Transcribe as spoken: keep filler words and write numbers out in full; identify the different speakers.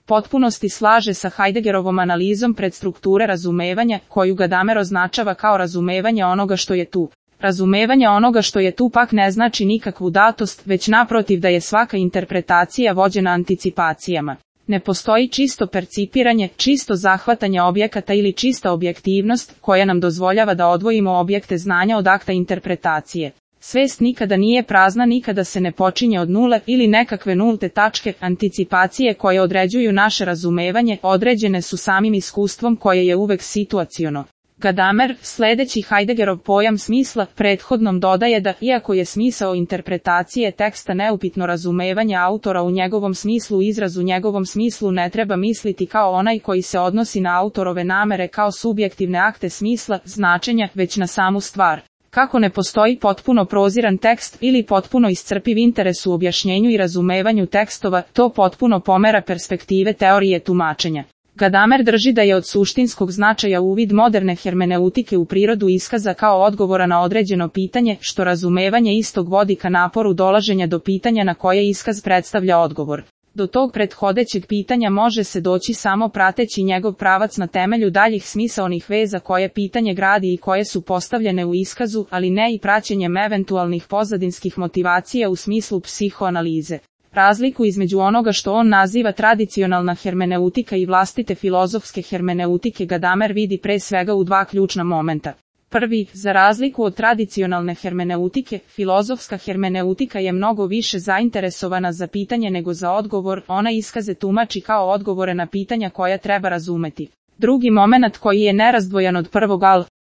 Speaker 1: potpunosti slaže sa Heideggerovom analizom predstrukture razumevanja, koju Gadamer označava kao razumevanje onoga što je tu. Razumevanje onoga što je tu pak ne znači nikakvu datost, već naprotiv da je svaka interpretacija vođena anticipacijama. Ne postoji čisto percipiranje, čisto zahvatanje objekata ili čista objektivnost, koja nam dozvoljava da odvojimo objekte znanja od akta interpretacije. Svest nikada nije prazna, nikada se ne počinje od nule ili nekakve nulte tačke. Anticipacije koje određuju naše razumevanje određene su samim iskustvom koje je uvek situaciono. Gadamer, sledeći Heideggerov pojam smisla, prethodnom dodaje da, iako je smisao interpretacije teksta neupitno razumevanje autora u njegovom smislu, izraz u njegovom smislu ne treba misliti kao onaj koji se odnosi na autorove namere kao subjektivne akte smisla, značenja, već na samu stvar. Kako ne postoji potpuno proziran tekst ili potpuno iscrpiv interes u objašnjenju i razumevanju tekstova, to potpuno pomera perspektive teorije tumačenja. Gadamer drži da je od suštinskog značaja uvid moderne hermeneutike u prirodu iskaza kao odgovora na određeno pitanje, što razumevanje istog vodi ka naporu dolaženja do pitanja na koje iskaz predstavlja odgovor. Do tog prethodećeg pitanja može se doći samo prateći njegov pravac na temelju daljih smisaonih veza koje pitanje gradi i koje su postavljene u iskazu, ali ne i praćenjem eventualnih pozadinskih motivacija u smislu psihoanalize. Razliku između onoga što on naziva tradicionalna hermeneutika i vlastite filozofske hermeneutike Gadamer vidi pre svega u dva ključna momenta. Prvi, za razliku od tradicionalne hermeneutike, filozofska hermeneutika je mnogo više zainteresovana za pitanje nego za odgovor, ona iskaze tumači kao odgovore na pitanja koja treba razumeti. Drugi momenat koji je nerazdvojan od prvog, al